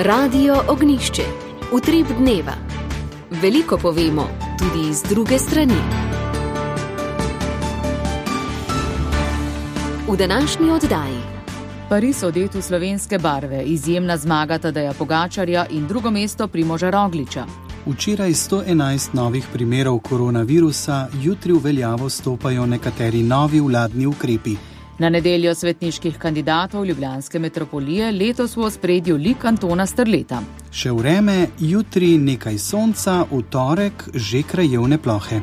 Radio Ognjišče. Utrip dneva. Veliko povemo, tudi iz druge strani. V današnji oddaji. Pariz odet v slovenske barve, izjemna zmaga Tadeja Pogačarja in drugo mesto Primoža Rogliča. Včeraj 111 novih primerov koronavirusa, jutri v veljavo stopajo nekateri novi vladni ukrepi. Na nedeljo svetniških kandidatov ljubljanske metropolije letos v ospredju lik Antona Strleta. Še vreme, jutri nekaj sonca, v torek že krajevne plohe.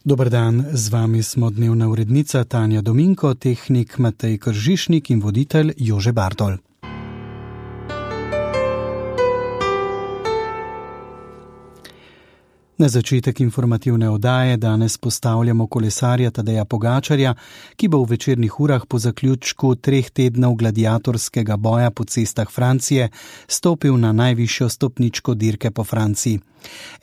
Dober dan, z vami smo dnevna urednica Tanja Dominko, tehnik Matej Kržišnik in voditelj Jože Bartol. Na začetek informativne oddaje danes postavljamo kolesarja Tadeja Pogačarja, ki bo v večernih urah po zaključku 3 tednov gladiatorskega boja po cestah Francije stopil na najvišjo stopničko dirke po Franciji.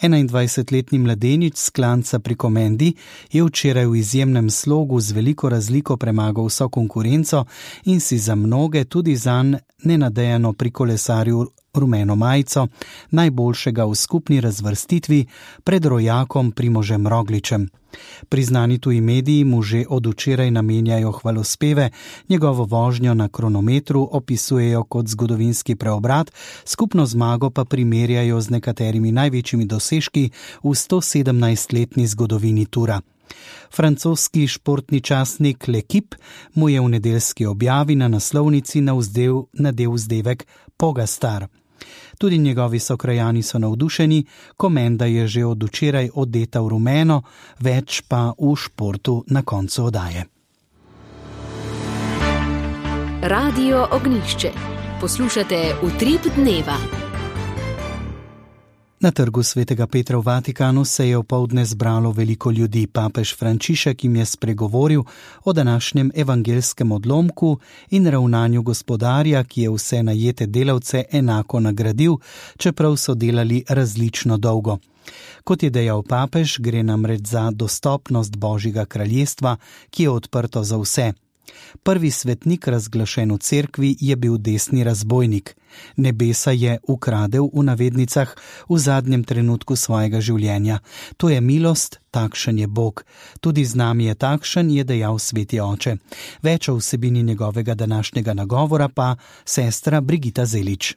21-letni mladenič s klanca pri Komendi je včeraj v izjemnem slogu z veliko razliko premagal vso konkurenco in si za mnoge, tudi zanj, nenadejano pri kolesarju rumeno majico, najboljšega v skupni razvrstitvi pred rojakom Primožem Rogličem. Priznani tuji mediji mu že od včeraj namenjajo hvalospeve, njegovo vožnjo na kronometru opisujejo kot zgodovinski preobrat, skupno zmago pa primerjajo z nekaterimi največjimi dosežki v 117-letni zgodovini Tura. Francoski športni časnik L'Equipe mu je v nedeljski objavi na naslovnici nadel vzdevek Pogastar. Tudi njegovi sokrajani so navdušeni, Komenda je že od včeraj odeta v rumeno, več pa v športu na koncu oddaje. Radio Ognjišče. Poslušate Utrip dneva. Na trgu Svetega Petra v Vatikanu se je opoldne zbralo veliko ljudi. Papež Frančišek jim je spregovoril o današnjem evangelskem odlomku in ravnanju gospodarja, ki je vse najete delavce enako nagradil, čeprav so delali različno dolgo. Kot je dejal papež, gre namreč za dostopnost Božjega kraljestva, ki je odprto za vse. Prvi svetnik, razglašen v cerkvi, je bil desni razbojnik. Nebesa je ukradel, v navednicah, v zadnjem trenutku svojega življenja. To je milost, takšen je Bog. Tudi z nami je takšen, je dejal sveti oče. Več o vsebini njegovega današnjega nagovora pa sestra Brigita Zelič.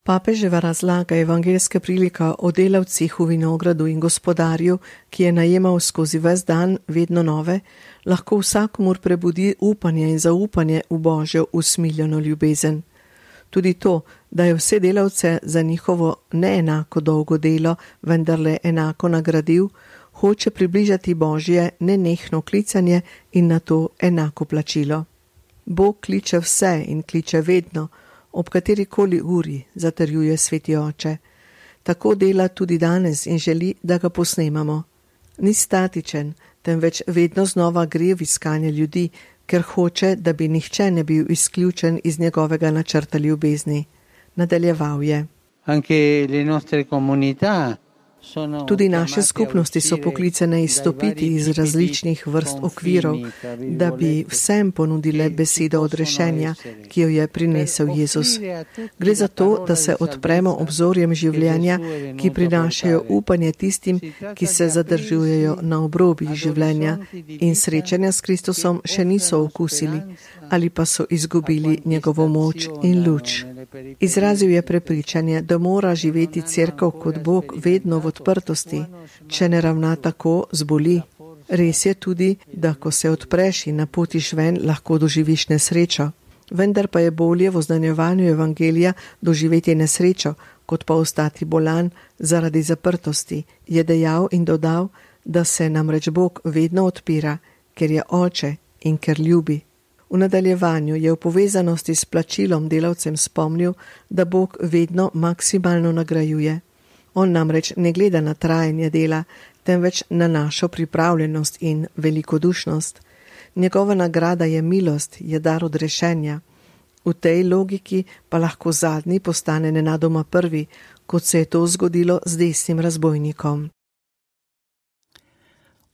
Papeževa razlaga evangelske prilika o delavcih v vinogradu in gospodarju, ki je najemal skozi ves dan vedno nove, lahko vsakomur prebudi upanje in zaupanje v Božjo usmiljeno ljubezen. Tudi to, da je vse delavce za njihovo neenako dolgo delo vendarle enako nagradil, hoče približati Božje nenehno klicanje in na to enako plačilo. Bog kliče vse in kliče vedno, ob katerikoli uri, zatrjuje sveti oče. Tako dela tudi danes in želi, da ga posnemamo. Ni statičen, temveč vedno znova gre v iskanje ljudi, ker hoče, da bi nihče ne bil izključen iz njegovega načrta ljubezni. Nadaljeval je. Anche le nostre comunità. Tudi naše skupnosti so poklicane izstopiti iz različnih vrst okvirov, da bi vsem ponudile besedo odrešenja, ki jo je prinesel Jezus. Gre za to, da se odpremo obzorjem življenja, ki prinašajo upanje tistim, ki se zadržujejo na obrobjih življenja in srečanja s Kristusom še niso okusili ali pa so izgubili njegovo moč in luč. Izrazil je prepričanje, da mora živeti cerkev kot Bog vedno v odprtosti, če ne ravna tako, zboli. Res je tudi, da ko se odpreš in napotiš ven, lahko doživiš nesrečo. Vendar pa je bolje v oznanjevanju evangelija doživeti nesrečo, kot pa ostati bolan zaradi zaprtosti, je dejal in dodal, da se namreč Bog vedno odpira, ker je oče in ker ljubi. V nadaljevanju je v povezanosti s plačilom delavcem spomnil, da Bog vedno maksimalno nagrajuje. On namreč ne gleda na trajanje dela, temveč na našo pripravljenost in velikodušnost. Njegova nagrada je milost, je dar odrešenja. V tej logiki pa lahko zadnji postane nenadoma prvi, kot se je to zgodilo z desnim razbojnikom.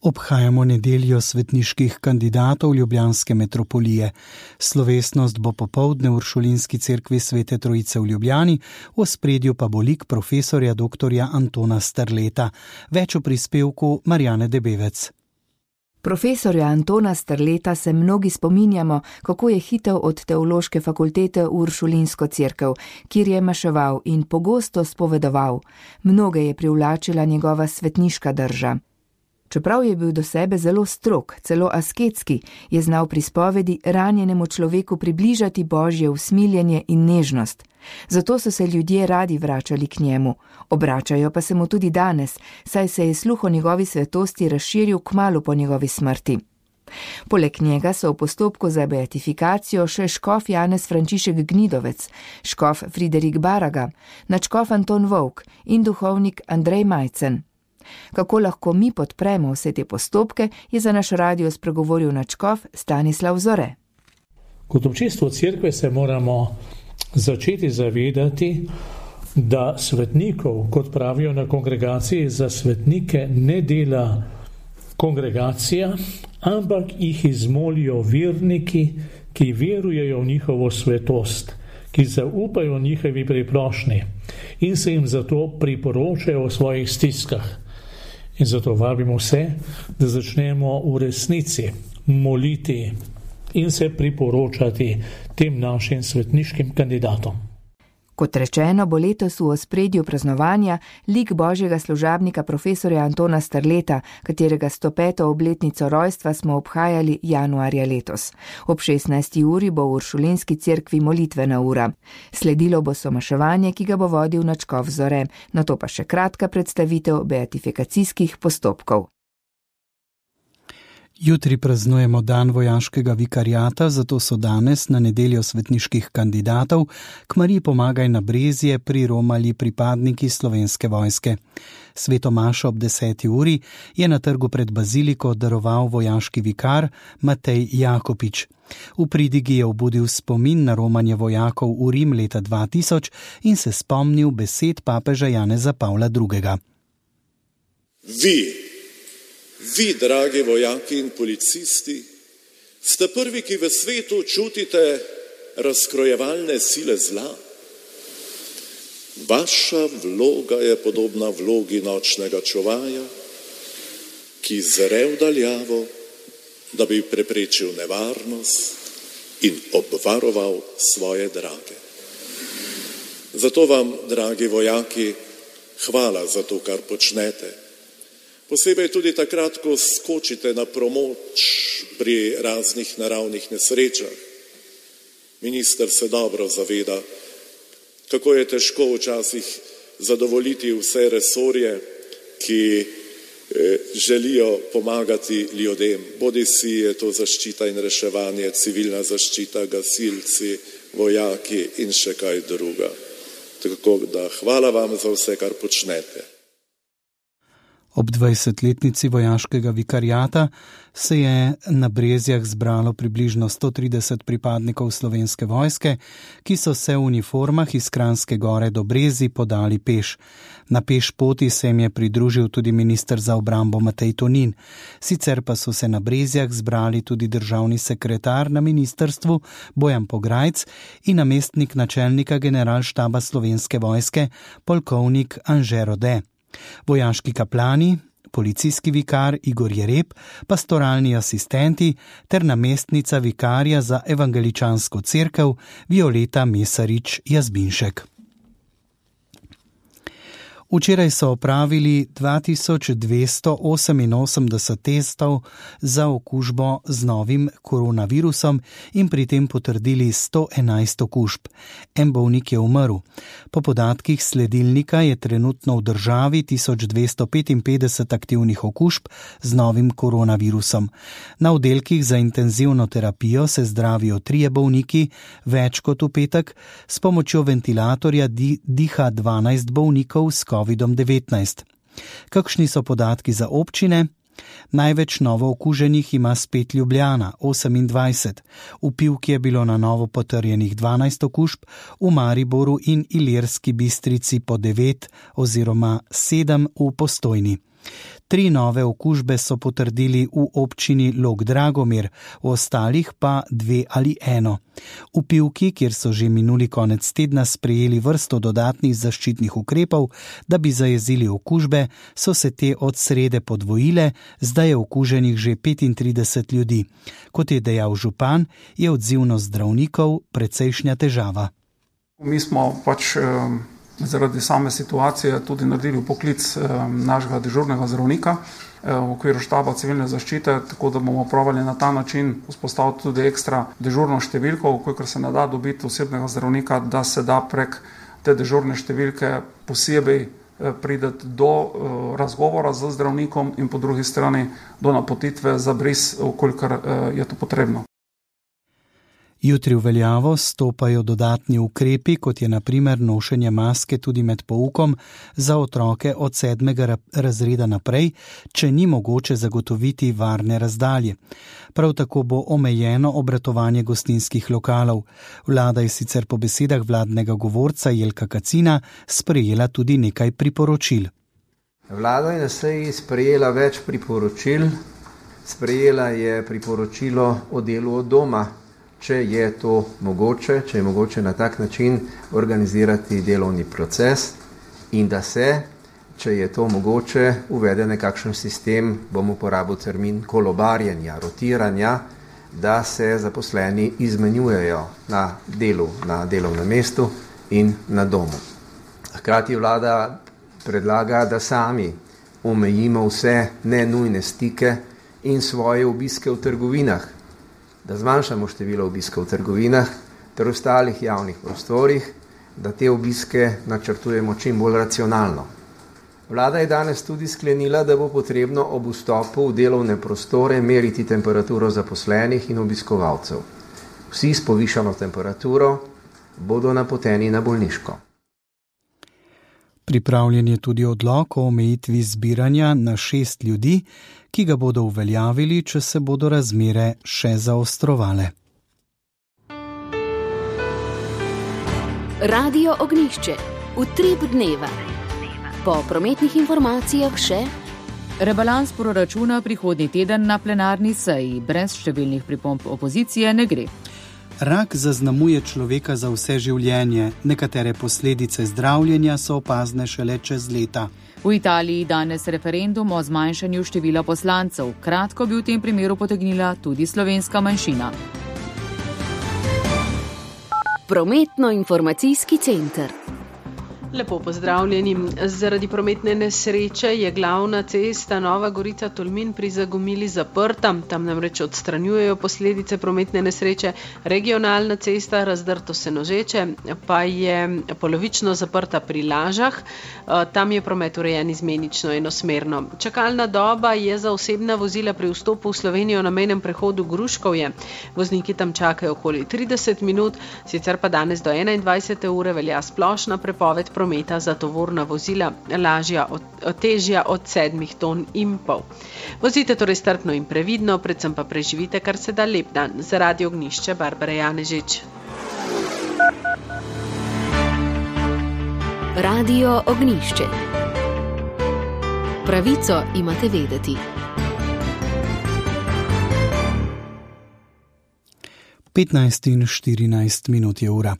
Obhajamo nedeljo svetniških kandidatov ljubljanske metropolije. Slovesnost bo popoldne v Uršulinski cerkvi Svete Trojice v Ljubljani, v ospredju pa bo lik profesorja dr. Antona Strleta. Več o prispevku Marjane Debevec. Profesorja Antona Strleta se mnogi spominjamo, kako je hitel od teološke fakultete v Uršulinsko cerkev, kjer je maševal in pogosto spovedoval. Mnoge je privlačila njegova svetniška drža. Čeprav je bil do sebe zelo strog, celo asketski, je znal pri spovedi ranjenemu človeku približati Božje usmiljenje in nežnost. Zato so se ljudje radi vračali k njemu. Obračajo pa se mu tudi danes, saj se je sluh o njegovi svetosti razširil kmalu po njegovi smrti. Poleg njega so v postopku za beatifikacijo še škof Janez Frančišek Gnidovec, škof Friderik Baraga, nadškof Anton Vovk in duhovnik Andrej Majcen. Kako lahko mi podpremo vse te postopke, je za naš radio spregovoril nadškof Stanislav Zore. Kot občestvo cerkve se moramo začeti zavedati, da svetnikov, kot pravijo na kongregaciji, za svetnike ne dela kongregacija, ampak jih izmolijo verniki, ki verujejo v njihovo svetost, ki zaupajo njihovi priprošnji in se jim zato priporočajo v svojih stiskah. In zato vabimo vse, da začnemo v resnici moliti in se priporočati tem našim svetniškim kandidatom. Kot rečeno, bo letos v ospredju praznovanja lik božjega služabnika profesorja Antona Strleta, katerega 105. obletnico rojstva smo obhajali januarja letos. Ob 16. uri bo v Uršulinski cerkvi molitvena ura. Sledilo bo somaševanje, ki ga bo vodil nadškof Zore, nato pa še kratka predstavitev beatifikacijskih postopkov. Jutri praznujemo dan vojaškega vikariata, zato so danes na nedeljo svetniških kandidatov k Mariji pomagaj na Brezje priromali pripadniki Slovenske vojske. Sveto mašo ob 10. uri je na trgu pred baziliko daroval vojaški vikar Matej Jakopič. V pridigi je obudil spomin na romanje vojakov v Rim leta 2000 in se spomnil besed papeža Janeza Pavla II. Vi, dragi vojaki in policisti, ste prvi, ki v svetu čutite razkrojevalne sile zla. Vaša vloga je podobna vlogi nočnega čuvaja, ki zre v daljavo, da bi preprečil nevarnost in obvaroval svoje drage. Zato vam, dragi vojaki, hvala za to, kar počnete. Posebej tudi takrat, ko skočite na pomoč pri raznih naravnih nesrečah. Minister se dobro zaveda, kako je težko včasih zadovoljiti vse resorje, ki želijo pomagati ljudem. Bodisi je to zaščita in reševanje, civilna zaščita, gasilci, vojaki in še kaj druga. Tako da hvala vam za vse, kar počnete. Ob 20-letnici vojaškega vikariata se je na Brezjah zbralo približno 130 pripadnikov Slovenske vojske, ki so se v uniformah iz Kranjske Gore do Brezij podali peš. Na peš poti se jim je pridružil tudi minister za obrambo Matej Tonin. Sicer pa so se na Brezjah zbrali tudi državni sekretar na ministrstvu Bojan Pograjc in namestnik načelnika generalštaba Slovenske vojske, polkovnik Anže Rode. Vojaški kaplani, policijski vikar Igor Jereb, pastoralni asistenti ter namestnica vikarja za evangeličansko cerkev Violeta Mesarič Jazbinšek. Včeraj so opravili 2288 testov za okužbo z novim koronavirusom in pri tem potrdili 111 okužb. En bolnik je umrl. Po podatkih sledilnika je trenutno v državi 1255 aktivnih okužb z novim koronavirusom. Na oddelkih za intenzivno terapijo se zdravijo 3 bolniki, več kot v petek, s pomočjo ventilatorja diha 12 bolnikov s COVID-19. Kakšni so podatki za občine? Največ novo okuženih ima spet Ljubljana, 28. V Pivki je bilo na novo potrjenih 12 okužb, v Mariboru in Ilirski Bistrici po 9 oziroma 7 v Postojni. 3 nove okužbe so potrdili v občini Log-Dragomir, v ostalih pa 2 ali 1. V Pivki, kjer so že minuli konec tedna sprejeli vrsto dodatnih zaščitnih ukrepov, da bi zajezili okužbe, so se te od srede podvojile, zdaj je okuženih že 35 ljudi. Kot je dejal župan, je odzivnost zdravnikov precejšnja težava. Mi smo zaradi same situacije tudi naredili vpoklic našega dežurnega zdravnika v okviru štaba civilne zaščite, tako da bomo probali na ta način vzpostaviti tudi ekstra dežurno številko, kolikor se ne da dobiti osebnega zdravnika, da se da prek te dežurne številke posebej prideti do razgovora z zdravnikom in po drugi strani do napotitve za bris, kolikor je to potrebno. Jutri v veljavo stopajo dodatni ukrepi, kot je na primer nošenje maske tudi med poukom za otroke od 7. razreda naprej, če ni mogoče zagotoviti varne razdalje. Prav tako bo omejeno obratovanje gostinskih lokalov. Vlada je sicer po besedah vladnega govorca Jelka Kacina sprejela tudi nekaj priporočil. Vlada je na seji sprejela več priporočil. Sprejela je priporočilo o delu od doma, če je to mogoče, če je mogoče na tak način organizirati delovni proces in da se, če je to mogoče, uvede nekakšen sistem, bom uporabil termin kolobarjenja, rotiranja, da se zaposleni izmenjujejo na delu, na delovnem mestu in na domu. Hkrati vlada predlaga, da sami omejimo vse nenujne stike in svoje obiske v trgovinah, da zmanjšamo število obiskov v trgovinah ter ostalih javnih prostorih, da te obiske načrtujemo čim bolj racionalno. Vlada je danes tudi sklenila, da bo potrebno ob vstopu v delovne prostore meriti temperaturo zaposlenih in obiskovalcev. Vsi s povišano temperaturo bodo napoteni na bolniško. Pripravljen je tudi odlok o omejitvi zbiranja na 6 ljudi, ki ga bodo uveljavili, če se bodo razmere še zaostrovale. Radio Ognjišče. Utrip dneva. Po prometnih informacijah še rebalans proračuna prihodnji teden na plenarni seji. Brez številnih pripomb opozicije ne gre. Rak zaznamuje človeka za vse življenje. Nekatere posledice zdravljenja so opazne šele čez leta. V Italiji danes referendum o zmanjšanju števila poslancev. Kratko bi v tem primeru potegnila tudi slovenska manjšina. Prometno-informacijski center. Lepo pozdravljeni. Zaradi prometne nesreče je glavna cesta Nova Gorica-Tolmin pri Zagomili zaprta. Tam namreč odstranjujejo posledice prometne nesreče. Regionalna cesta Razdrto-Senožeče pa je polovično zaprta pri Lažah. Tam je promet urejen izmenično enosmerno. Čakalna doba je za osebna vozila pri vstopu v Slovenijo na mejnem prehodu Gruškovje. Vozniki tam čakajo okoli 30 minut, sicer pa danes do 21. ure velja splošna prepoved prometa za tovorna vozila težja od 7 ton in pol. Vozite torej strpno in previdno, predvsem pa preživite kar se da lep dan. Za Radio Ognjišče, Barbara Janežič. Radio Ognjišče. Pravico imate vedeti. 15:14 je ura.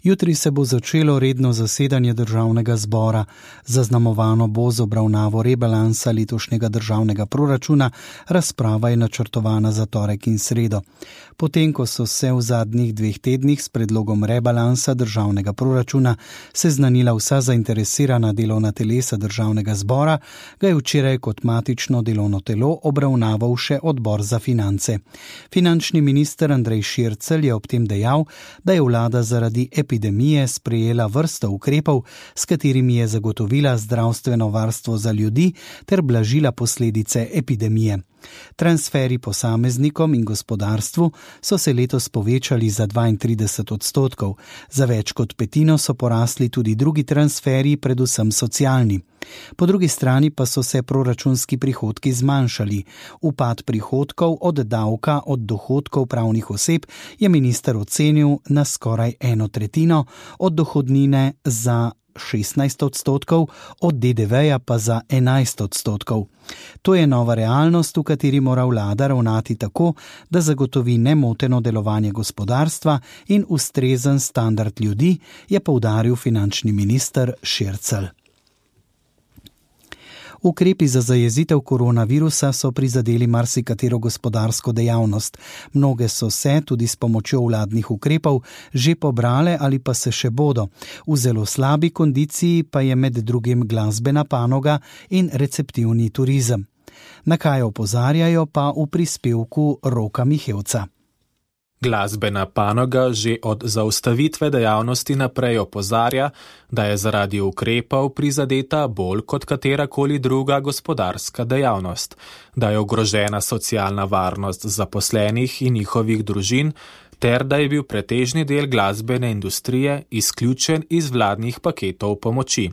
Jutri se bo začelo redno zasedanje državnega zbora. Zaznamovano bo z obravnavo rebalansa letošnjega državnega proračuna, razprava je načrtovana za torek in sredo. Potem, ko so se v zadnjih 2 tednih s predlogom rebalansa državnega proračuna seznanila vsa zainteresirana delovna telesa državnega zbora, ga je včeraj kot matično delovno telo obravnaval še odbor za finance. Finančni minister Andrej Šircelj je ob tem dejal, da je vlada zaradi epidemije sprejela vrsto ukrepov, s katerimi je zagotovila zdravstveno varstvo za ljudi ter blažila posledice epidemije. Transferi posameznikom in gospodarstvu so se letos povečali za 32%. Za več kot petino so porasli tudi drugi transferi, predvsem socialni. Po drugi strani pa so se proračunski prihodki zmanjšali. Upad prihodkov od davka od dohodkov pravnih oseb je minister ocenil na skoraj 1/3, od dohodnine za 16%, od DDV-ja pa za 11%. To je nova realnost, v kateri mora vlada ravnati tako, da zagotovi nemoteno delovanje gospodarstva in ustrezen standard ljudi, je poudaril finančni minister Šircelj. Ukrepi za zajezitev koronavirusa so prizadeli marsikatero gospodarsko dejavnost. Mnoge so se, tudi s pomočjo vladnih ukrepov, že pobrale ali pa se še bodo. V zelo slabi kondiciji pa je med drugim glasbena panoga in receptivni turizem. Na kaj opozarjajo pa v prispevku Roka Mihevca. Glasbena panoga že od zaustavitve dejavnosti naprej opozarja, da je zaradi ukrepov prizadeta bolj kot katerakoli druga gospodarska dejavnost, da je ogrožena socialna varnost zaposlenih in njihovih družin, ter da je bil pretežni del glasbene industrije izključen iz vladnih paketov pomoči.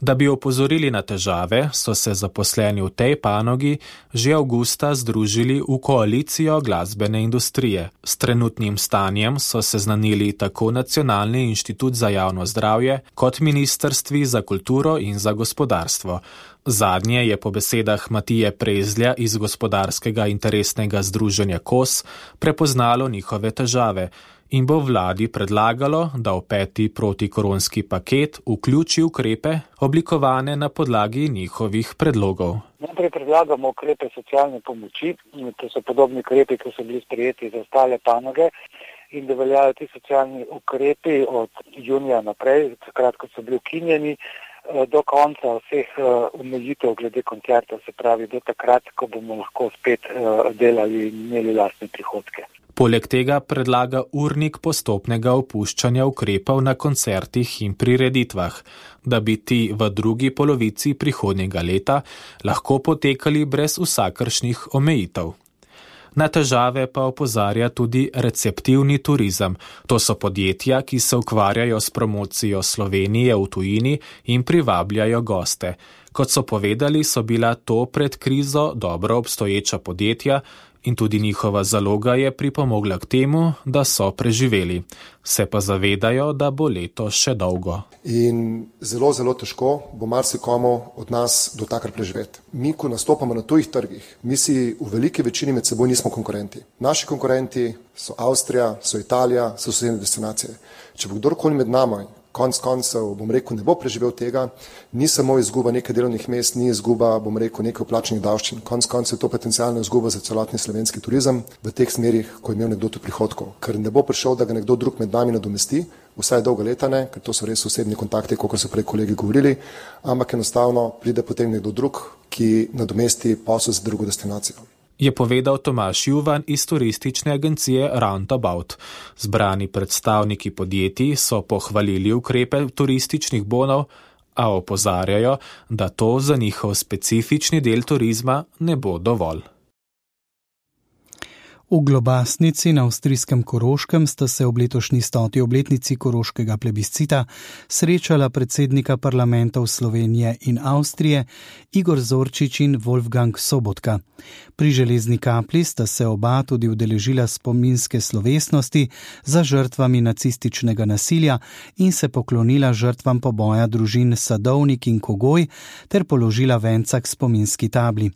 Da bi opozorili na težave, so se zaposleni v tej panogi že avgusta združili v koalicijo glasbene industrije. S trenutnim stanjem so seznanili tako Nacionalni inštitut za javno zdravje kot Ministrstvi za kulturo in za gospodarstvo. Zadnje je po besedah Matije Prezlja iz gospodarskega interesnega združenja KOS prepoznalo njihove težave in bo vladi predlagalo, da v 5. protikoronski paket vključi ukrepe, oblikovane na podlagi njihovih predlogov. Najprej predlagamo ukrepe socialne pomoči, to so podobni ukrepi, ki so bili sprejeti za ostale panoge, in da veljajo ti socialni ukrepi od junija naprej, takrat, ko so bili ukinjeni, do konca vseh omejitev glede koncertov, se pravi do takrat, ko bomo lahko spet delali in imeli lastne prihodke. Poleg tega predlaga urnik postopnega opuščanja ukrepov na koncertih in prireditvah, da bi ti v drugi polovici prihodnjega leta lahko potekali brez vsakršnih omejitev. Na težave pa opozarja tudi receptivni turizem. To so podjetja, ki se ukvarjajo s promocijo Slovenije v tujini in privabljajo goste. Kot so povedali, so bila to pred krizo dobro obstoječa podjetja, in tudi njihova zaloga je pripomogla k temu, da so preživeli. Se pa zavedajo, da bo leto še dolgo. In zelo, zelo težko bo marsikomu od nas do takrat preživeti. Mi, ko nastopamo na tujih trgih, mi si v veliki večini med seboj nismo konkurenti. Naši konkurenti so Avstrija, so Italija, so sosednje destinacije. Če bo kdorkoli med nami, konc koncev, bom rekel, ne bo preživel tega, ni samo izguba nekaj delovnih mest, ni izguba, bom rekel, nekaj vplačenih davščin. Konc koncev je to potencialna izguba za celotni slovenski turizem v teh smerih, ko je imel nekdo tu prihodkov. Ker ne bo prišel, da ga nekdo drug med nami nadomesti, vsaj dolga leta ne, ker to so res osebni kontakti, kot so prej kolegi govorili, ampak enostavno pride potem nekdo drug, ki nadomesti posel za drugo destinacijo. Je povedal Tomaž Juvan iz turistične agencije Roundabout. Zbrani predstavniki podjetij so pohvalili ukrepe turističnih bonov, a opozarjajo, da to za njihov specifični del turizma ne bo dovolj. V Globasnici na avstrijskem Koroškem sta se ob letošnji 100. obletnici koroškega plebiscita srečala predsednika parlamentov Slovenije in Avstrije Igor Zorčič in Wolfgang Sobotka. Pri Železni kapli sta se oba tudi udeležila spominske slovesnosti za žrtvami nacističnega nasilja in se poklonila žrtvam poboja družin Sadovnik in Kogoj ter položila venca k spominski tabli.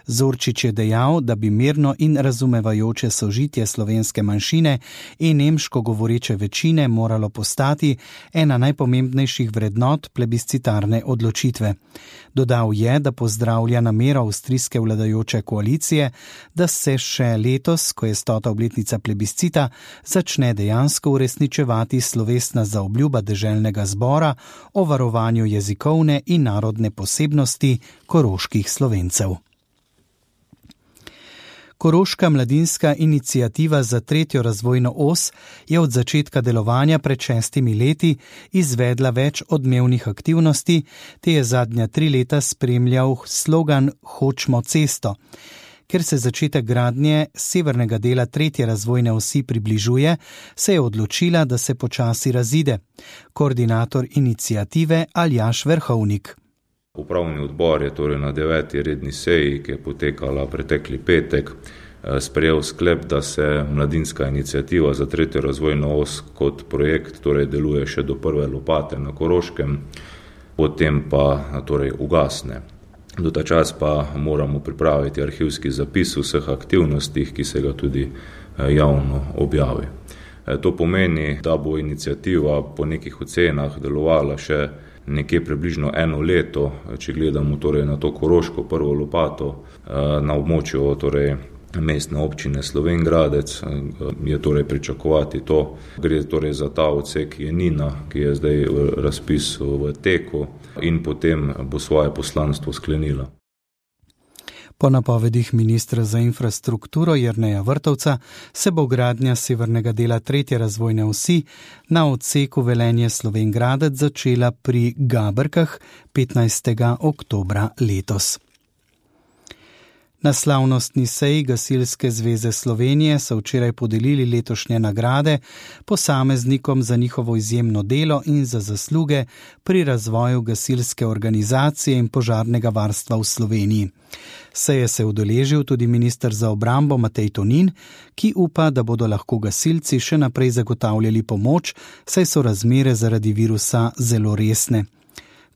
Zorčič je dejal, da bi mirno in razumevajoče sožitje slovenske manjšine in nemško govoreče večine moralo postati ena najpomembnejših vrednot plebiscitarne odločitve. Dodal je, da pozdravlja namero avstrijske vladajoče koalicije, da se še letos, ko je 100. obletnica plebiscita, začne dejansko uresničevati slovesna zaobljuba deželnega zbora o varovanju jezikovne in narodne posebnosti koroških Slovencev. Koroška mladinska iniciativa za 3. razvojno os je od začetka delovanja pred 6 leti izvedla več odmevnih aktivnosti, te je zadnja 3 leta spremljal slogan Hočmo cesto. Ker se začetek gradnje severnega dela 3. razvojne osi približuje, se je odločila, da se počasi razide. Koordinator iniciative Aljaž Verhovnik. Upravni odbor je torej na 9. redni seji, ki je potekala pretekli petek, sprejel sklep, da se mladinska iniciativa za 3. razvojno os kot projekt deluje še do prve lopate na Koroškem, potem pa ugasne. Do ta čas pa moramo pripraviti arhivski zapis vseh aktivnostih, ki se ga tudi javno objavi. To pomeni, da bo iniciativa po nekih ocenah delovala še nekje približno 1 leto, če gledamo na to Koroško prvo lopato na območju mestne občine Slovenj Gradec, je pričakovati to. Gre za ta odsek Jenina, ki je zdaj razpis v teku in potem bo svoje poslanstvo sklenila. Po napovedih ministra za infrastrukturo Jerneja Vrtovca se bo gradnja severnega dela 3. razvojne osi na odseku Velenje Slovenj Gradec začela pri Gaberkah 15. oktobra letos. Na slavnostni seji Gasilske zveze Slovenije so včeraj podelili letošnje nagrade posameznikom za njihovo izjemno delo in za zasluge pri razvoju gasilske organizacije in požarnega varstva v Sloveniji. Seje se udeležil tudi minister za obrambo Matej Tonin, ki upa, da bodo lahko gasilci še naprej zagotavljali pomoč, saj so razmere zaradi virusa zelo resne.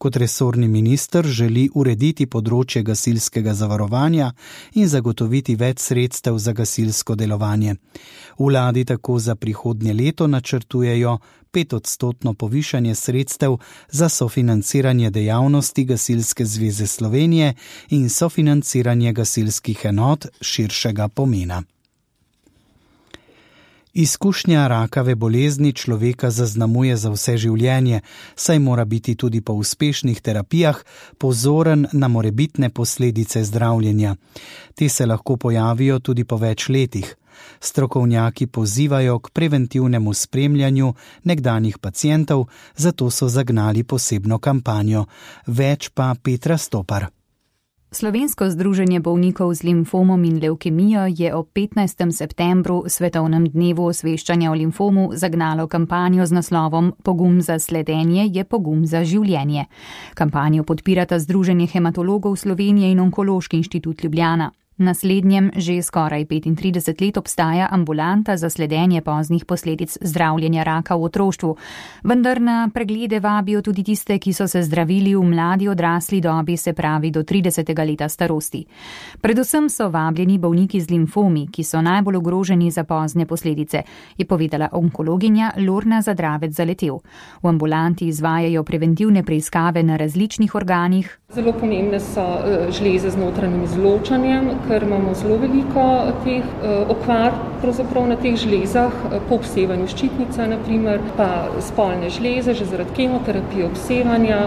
Kot resorni minister želi urediti področje gasilskega zavarovanja in zagotoviti več sredstev za gasilsko delovanje. Vladi tako za prihodnje leto načrtujejo 5% povišanje sredstev za sofinanciranje dejavnosti Gasilske zveze Slovenije in sofinanciranje gasilskih enot širšega pomena. Izkušnja rakave bolezni človeka zaznamuje za vse življenje, saj mora biti tudi po uspešnih terapijah pozoren na morebitne posledice zdravljenja. Te se lahko pojavijo tudi po več letih. Strokovnjaki pozivajo k preventivnemu spremljanju nekdanjih pacientov, zato so zagnali posebno kampanjo. Več pa Petra Stopar. Slovensko združenje bolnikov z limfomom in levkemijo je ob 15. septembru, svetovnem dnevu osveščanja o limfomu, zagnalo kampanjo z naslovom Pogum za sledenje je pogum za življenje. Kampanjo podpirata Združenje hematologov Slovenije in Onkološki inštitut Ljubljana. Na slednjem že skoraj 35 let obstaja ambulanta za sledenje poznih posledic zdravljenja raka v otroštvu, vendar na preglede vabijo tudi tiste, ki so se zdravili v mladi odrasli dobi, se pravi do 30. leta starosti. Predvsem so vabljeni bolniki z limfomi, ki so najbolj ogroženi za pozne posledice, je povedala onkologinja Lorna Zadravec-Zaletel. V ambulanti izvajajo preventivne preiskave na različnih organih. Zelo pomembne so žleze z notranjim izločanjem, ker imamo zelo veliko teh okvar pravzaprav na teh žlezah, po obsevanju ščitnica, naprimer, pa spolne žleze, že zaradi kemoterapije obsevanja,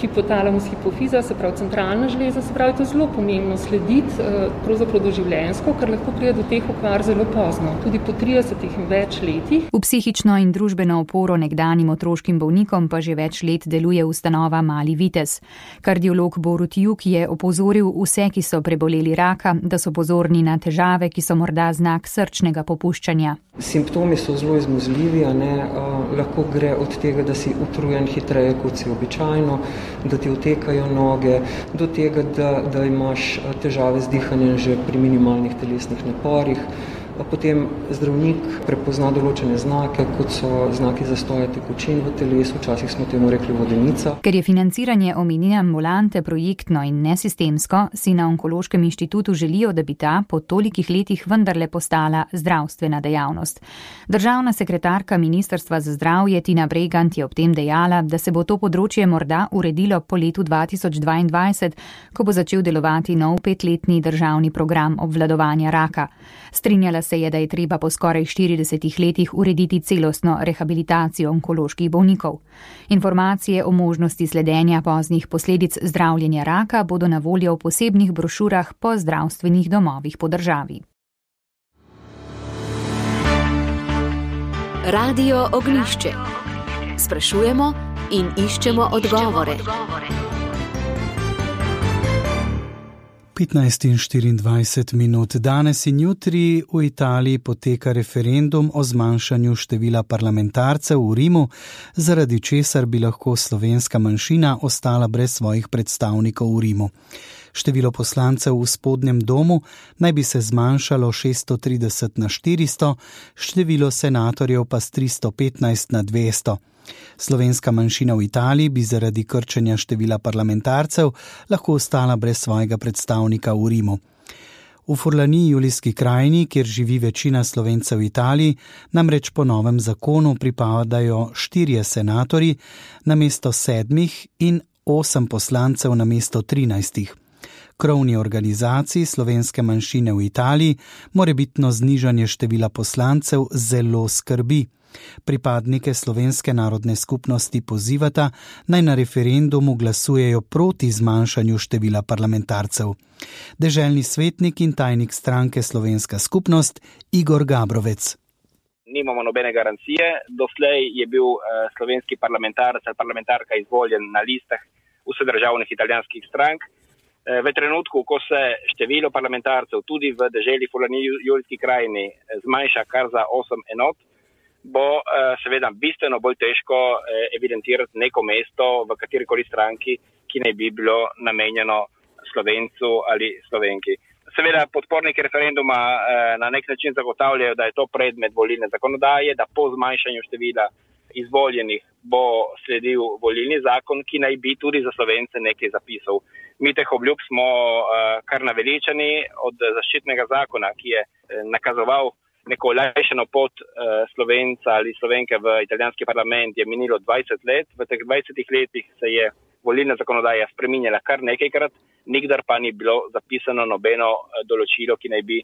hipotalamus, hipofiza, se pravi centralna žleza, se pravi, to je zelo pomembno slediti pravzaprav doživljenjsko, ker lahko pride do teh okvar zelo pozno, tudi po 30 in več letih. V psihično in družbeno oporo nekdanjim otroškim bolnikom pa že več let deluje ustanova Mali Vitez. Kardiolog Borut Juk je opozoril vse, ki so preboleli raka, da so pozorni na težave, ki so morda znak srčnega popuščanja. Simptomi so zelo izmuzljivi, lahko gre od tega, da si utrujen hitreje, kot si običajno, da ti otekajo noge, do tega, da imaš težave z dihanjem že pri minimalnih telesnih naporih. Potem zdravnik prepozna določene znake, kot so znaki zastoja tekočin v telesu, včasih smo temu rekli vodenica. Ker je financiranje omenjene ambulante projektno in nesistemsko, si na Onkološkem inštitutu želijo, da bi ta po tolikih letih vendarle postala zdravstvena dejavnost. Državna sekretarka Ministrstva za zdravje Tina Bregant je ob tem dejala, da se bo to področje morda uredilo po letu 2022, ko bo začel delovati nov 5-letni državni program obvladovanja raka. Strinjala se je, da je treba po skoraj 40 letih urediti celostno rehabilitacijo onkoloških bolnikov. Informacije o možnosti sledenja poznih posledic zdravljenja raka bodo na voljo v posebnih brošurah po zdravstvenih domovih po državi. Radio Ognjišče. Sprašujemo in iščemo odgovore. 15:24. Danes in jutri v Italiji poteka referendum o zmanjšanju števila parlamentarcev v Rimu, zaradi česar bi lahko slovenska manjšina ostala brez svojih predstavnikov v Rimu. Število poslancev v spodnjem domu naj bi se zmanjšalo 630 na 400, število senatorjev pa s 315 na 200. Slovenska manjšina v Italiji bi zaradi krčenja števila parlamentarcev lahko ostala brez svojega predstavnika v Rimu. V Furlaniji, Julijski krajini, kjer živi večina Slovencev v Italiji, namreč po novem zakonu pripadajo 4 senatorji namesto 7 in 8 poslancev namesto 13. Krovni organizaciji slovenske manjšine v Italiji morebitno znižanje števila poslancev zelo skrbi. Pripadnike slovenske narodne skupnosti pozivata, naj na referendumu glasujejo proti zmanjšanju števila parlamentarcev. Deželni svetnik in tajnik stranke Slovenska skupnost Igor Gabrovec. Nimamo nobene garancije. Doslej je bil slovenski parlamentarec ali parlamentarka izvoljen na listah vsedržavnih italijanskih strank. V trenutku, ko se število parlamentarcev tudi v deželi Furlaniji, Julijski krajini zmanjša kar za 8 enot, bo seveda bistveno bolj težko evidentirati neko mesto v katerikoli stranki, ki ne bi bilo namenjeno Slovencu ali Slovenki. Seveda podporniki referenduma na nek način zagotavljajo, da je to predmet volilne zakonodaje, da po zmanjšanju števila izvoljenih bo sledil volilni zakon, ki naj bi tudi za Slovence nekaj zapisal. Mi teh obljub smo kar naveličani od zaščitnega zakona, ki je nakazoval neko olajšano pot Slovenca ali Slovenke v italijanski parlament, je minilo 20 let. V teh 20 letih se je volilna zakonodaja spreminjala kar nekajkrat, nikdar pa ni bilo zapisano nobeno določilo, ki naj bi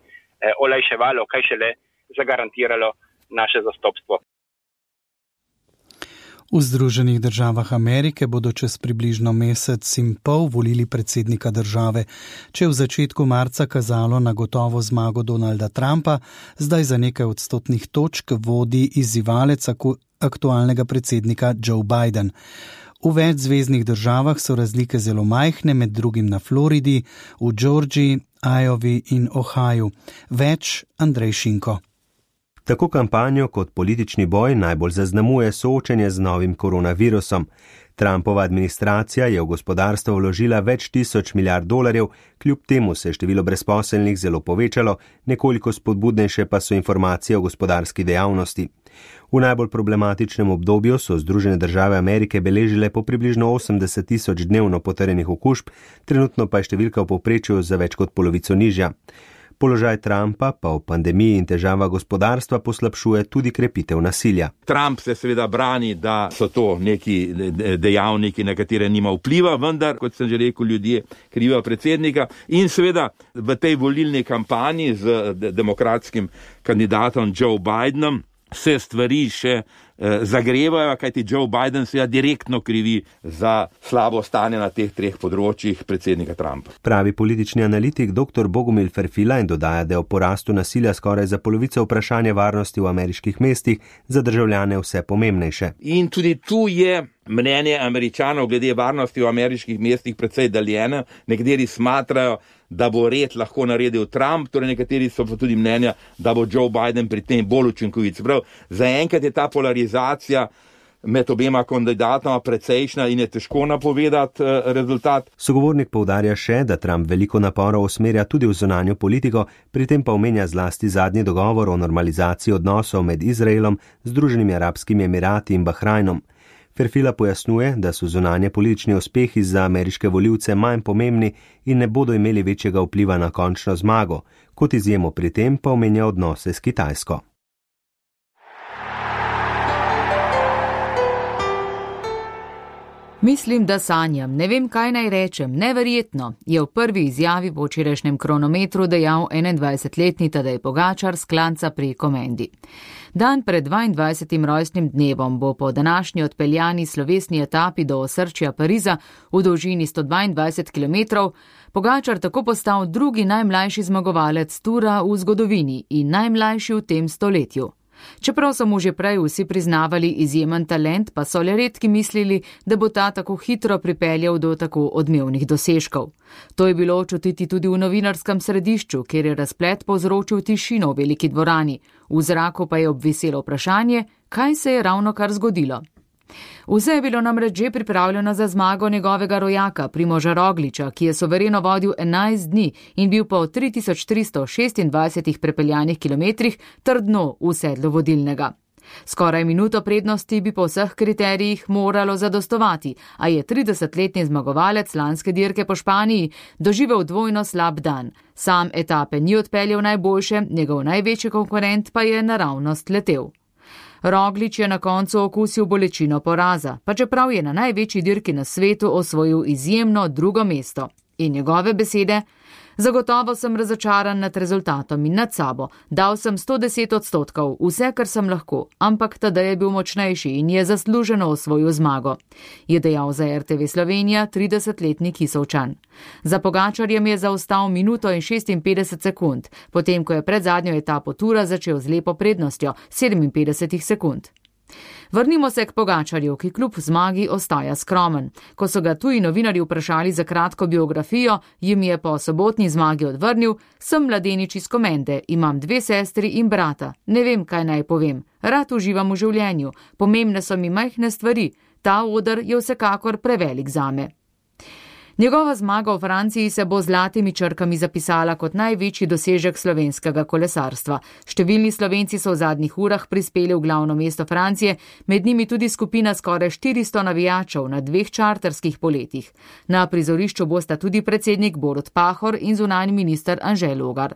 olajševalo, kaj šele zagarantiralo naše zastopstvo. V Združenih državah Amerike bodo čez približno mesec in pol volili predsednika države. Če je v začetku marca kazalo na gotovo zmago Donalda Trumpa, zdaj za nekaj odstotnih točk vodi izzivalec aktualnega predsednika Joe Biden. V več zveznih državah so razlike zelo majhne, med drugim na Floridi, v Georgiji, Iowi in Ohaju. Več Andrej Šinko. Tako kampanjo kot politični boj najbolj zaznamuje soočenje z novim koronavirusom. Trumpova administracija je v gospodarstvo vložila več tisoč milijard dolarjev, kljub temu se je število brezposelnih zelo povečalo, nekoliko spodbudnejše pa so informacije o gospodarski dejavnosti. V najbolj problematičnem obdobju so Združene države Amerike beležile po približno 80 tisoč dnevno potrjenih okužb, trenutno pa je številka v povprečju za več kot polovico nižja. Položaj Trumpa pa v pandemiji in težava gospodarstva poslabšuje tudi krepitev nasilja. Trump se seveda brani, da so to neki dejavniki, na katere nima vpliva, vendar, kot sem že rekel, ljudje krivijo predsednika. In seveda v tej volilni kampanji z demokratskim kandidatom Joe Bidenom se stvari še zagrevajo, kajti Joe Biden seveda direktno krivi za slabo stanje na teh 3 področjih predsednika Trumpa. Pravi politični analitik dr. Bogomil Ferfila in dodaja, da je o porastu nasilja skoraj za polovico vprašanje varnosti v ameriških mestih za državljane vse pomembnejše. In tudi tu je mnenje Američanov glede varnosti v ameriških mestih precej deljeno. Nekateri smatrajo, da bo red lahko naredil Trump, torej nekateri so pa tudi mnenja, da bo Joe Biden pri tem bolj učinkovit. Zaenkrat je ta polarizacija med obema kandidatoma precejšnja in je težko napovedati rezultat. Sogovornik poudarja še, da Trump veliko naporov usmerja tudi v zunanjo politiko, pri tem pa omenja zlasti zadnji dogovor o normalizaciji odnosov med Izraelom, Združenimi arabskimi emirati in Bahrajnom. Ferfila pojasnjuje, da so zunanje politični uspehi za ameriške volivce manj pomembni in ne bodo imeli večjega vpliva na končno zmago, kot izjemo pri tem pa omenja odnose s Kitajsko. Mislim, da sanjam, ne vem, kaj naj rečem, neverjetno, je v prvi izjavi po včerajšnjem kronometru dejal 21-letni Tadej Pogačar s klanca pri Komendi. Dan pred 22. rojstnim dnevom bo po današnji odpeljani slovesni etapi do osrčja Pariza v dolžini 122 km Pogačar tako postal drugi najmlajši zmagovalec tura v zgodovini in najmlajši v tem stoletju. Čeprav so mu že prej vsi priznavali izjemen talent, pa so le redki mislili, da bo ta tako hitro pripeljal do tako odmevnih dosežkov. To je bilo čutiti tudi v novinarskem središču, kjer je razplet povzročil tišino v veliki dvorani. V zraku pa je obviselo vprašanje, kaj se je ravnokar zgodilo. Vse je bilo namreč že pripravljeno za zmago njegovega rojaka Primoža Rogliča, ki je suvereno vodil 11 dni in bil po 3326 prepeljanih kilometrih trdno v sedlu vodilnega. Skoraj minuto prednosti bi po vseh kriterijih moralo zadostovati, a je 30-letni zmagovalec lanske dirke po Španiji doživel dvojno slab dan. Sam etape ni odpeljal najboljše, njegov največji konkurent pa je naravnost letel. Roglič je na koncu okusil bolečino poraza, pa čeprav je na največji dirki na svetu osvojil izjemno drugo mesto. In njegove besede: zagotovo sem razočaran nad rezultatom in nad sabo. Dal sem 110%, vse, kar sem lahko, ampak Tadej je bil močnejši in je zasluženo osvojil zmago, je dejal za RTV Slovenija 30-letni Kisovčan. Za Pogačarjem je zaostal minuto in 56 sekund, potem ko je pred zadnjo etapo tura začel z lepo prednostjo 57 sekund. Vrnimo se k Pogačarju, ki kljub zmagi ostaja skromen. Ko so ga tuji novinarji vprašali za kratko biografijo, jim je po sobotni zmagi odvrnil: sem mladenič iz Komende, imam 2 sestri in brata, ne vem, kaj naj povem. Rad uživam v življenju, pomembne so mi majhne stvari, ta oder je vsekakor prevelik zame. Njegova zmaga v Franciji se bo z zlatimi črkami zapisala kot največji dosežek slovenskega kolesarstva. Številni Slovenci so v zadnjih urah prispeli v glavno mesto Francije, med njimi tudi skupina skoraj 400 navijačev na 2 čarterskih poletih. Na prizorišču bosta tudi predsednik Borut Pahor in zunanji minister Anže Logar.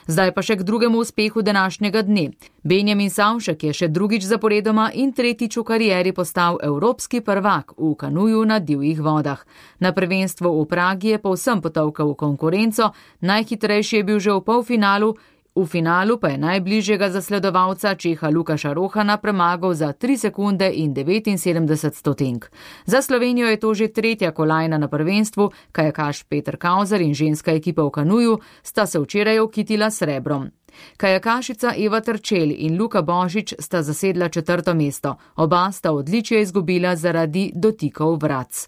Zdaj pa še k drugemu uspehu današnjega dne. Benjamin Savšek je še drugič zaporedoma in tretjič v karieri postal evropski prvak v kanuju na divjih vodah. Na prvenstvu v Pragi je povsem potolkal v konkurenco, najhitrejši je bil že v polfinalu, v finalu pa je najbližjega zasledovalca Čeha Lukaša Rohana premagal za 3 sekunde in 79 stotink. Za Slovenijo je to že 3. kolajna na prvenstvu, kajakaš Peter Kauzer in ženska ekipa v kanuju sta se včeraj okitila srebrom. Kajakašica Eva Trčel in Luka Božič sta zasedla 4. mesto, oba sta odličje izgubila zaradi dotikov vratc.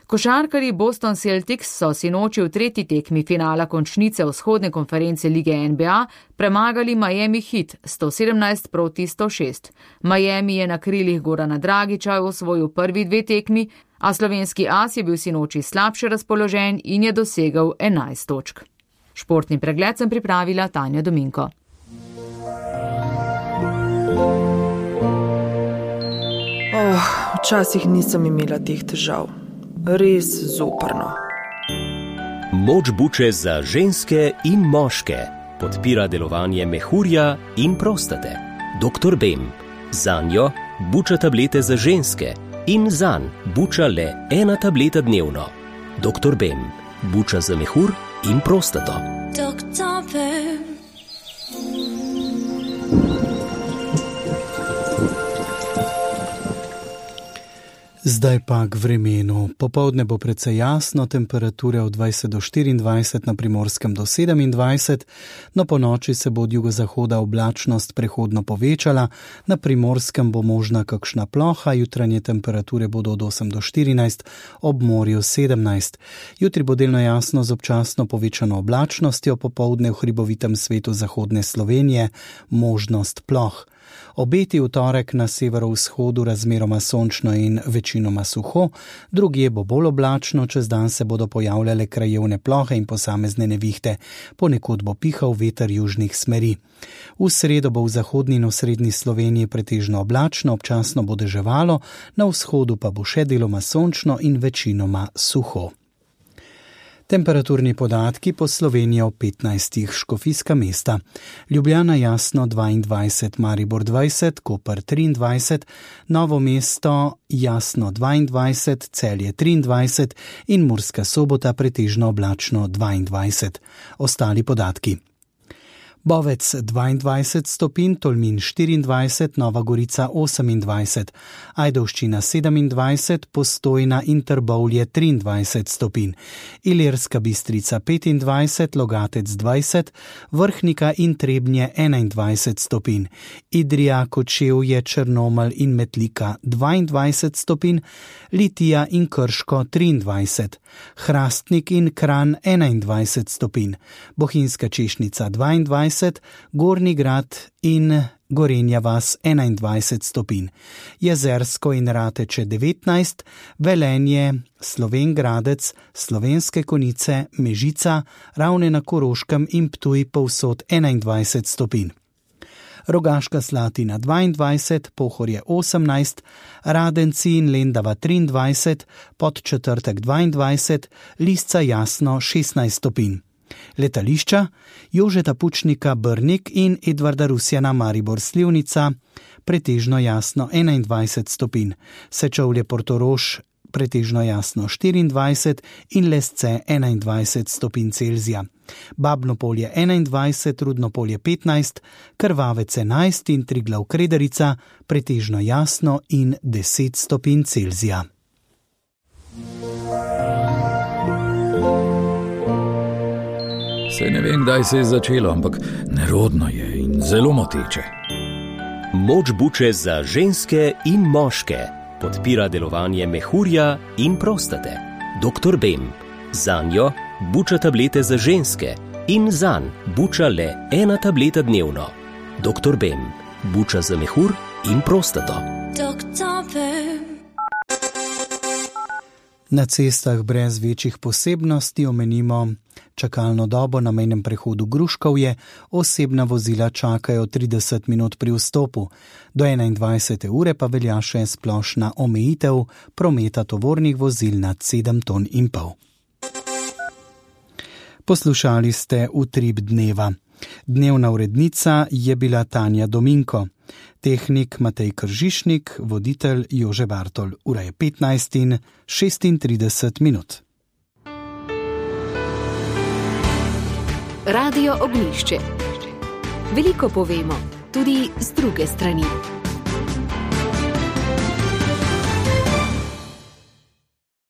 Košarkarji Boston Celtics so sinoči v 3. tekmi finala končnice vzhodne konference lige NBA premagali Miami Heat 117-106. Miami je na krilih Gorana Dragića osvojil prvi 2 tekmi, a slovenski as je bil sinoči slabše razpoložen in je dosegel 11 točk. Športni pregled sem pripravila Tanja Dominko. Včasih nisem imela teh težav. Res zoprno. Moč buče za ženske in moške podpira delovanje mehurja in prostate. Dr. Bem. Zanjo buča tablete za ženske in zanj buča le 1 tableta dnevno. Dr. Bem. Buča za mehur in prostato. Dr. Bem. Zdaj pa k vremenu. Popoldne bo precej jasno, temperature od 20 do 24, na Primorskem do 27, no po noči se bo od jugozahoda oblačnost prehodno povečala, na Primorskem bo možna kakšna ploha, jutranje temperature bodo od 8 do 14, ob morju 17. Jutri bo delno jasno z občasno povečano oblačnostjo, popoldne v hribovitem svetu zahodne Slovenije možnost ploh. Obeti v torek na severovzhodu razmeroma sončno in večinoma suho, drugje bo bolj oblačno, čez dan se bodo pojavljale krajevne plohe in posamezne nevihte, ponekod bo pihal veter južnih smeri. V sredo bo v zahodni in osrednji Sloveniji pretežno oblačno, občasno bo deževalo, na vzhodu pa bo še deloma sončno in večinoma suho. Temperaturni podatki po Sloveniji ob 15. Škofijska mesta. Ljubljana jasno 22, Maribor 20, Koper 23, Novo mesto jasno 22, Celje 23 in Murska Sobota pretežno oblačno 22. Ostali podatki. Bovec 22 stopinj, Tolmin 24, Nova Gorica 28, Ajdovščina 27, Postojna in Trbovlje 23 stopinj, Ilirska Bistrica 25, Logatec 20, Vrhnika in Trebnje 21 stopinj, Idrija, Kočevje, Črnomelj in Metlika 22 stopinj, Litija in Krško 23, Hrastnik in Kranj 21 stopinj, Bohinjska Češnica 22, Gornji Grad in Gorenja vas 21 stopinj, Jezersko in Rateče 19, Velenje, Slovenj Gradec, Slovenske Konjice, Mežica, Ravne na Koroškem in Ptuj povsod 21 stopinj. Rogaška Slatina 22, Pohorje 18, Radenci in Lendava 23, Podčetrtek 22, Lisca Jasno 16 stopinj. Letališča Jožeta Pučnika Brnik in Edvarda Rusjana Maribor Slivnica, pretežno jasno 21 stopinj, Sečovlje Portorož pretežno jasno 24 in Lesce 21 stopinj Celzija. Babno Polje 21, Rudno Polje 15, Krvavec 11 in Triglav Krederica pretežno jasno in 10 stopinj Celzija. Saj ne vem, kdaj se je začelo, ampak nerodno je in zelo moteče. Moč buče za ženske in moške podpira delovanje mehurja in prostate. Dr. Bem. Zanjo buča tablete za ženske in zanj buča le 1 tableta dnevno. Dr. Bem. Buča za mehur in prostato. Na cestah brez večjih posebnosti omenimo čakalno dobo na mejnem prehodu Gruškovje, osebna vozila čakajo 30 minut pri vstopu. Do 21. ure pa velja še splošna omejitev prometa tovornih vozil nad 7,5 ton. Poslušali ste Utrip dneva. Dnevna urednica je bila Tanja Dominko. Tehnik Matej Kržišnik, voditelj Jože Bartol. Ura je 15:36 minut. Radio Ognjišče. Veliko povemo, tudi z druge strani.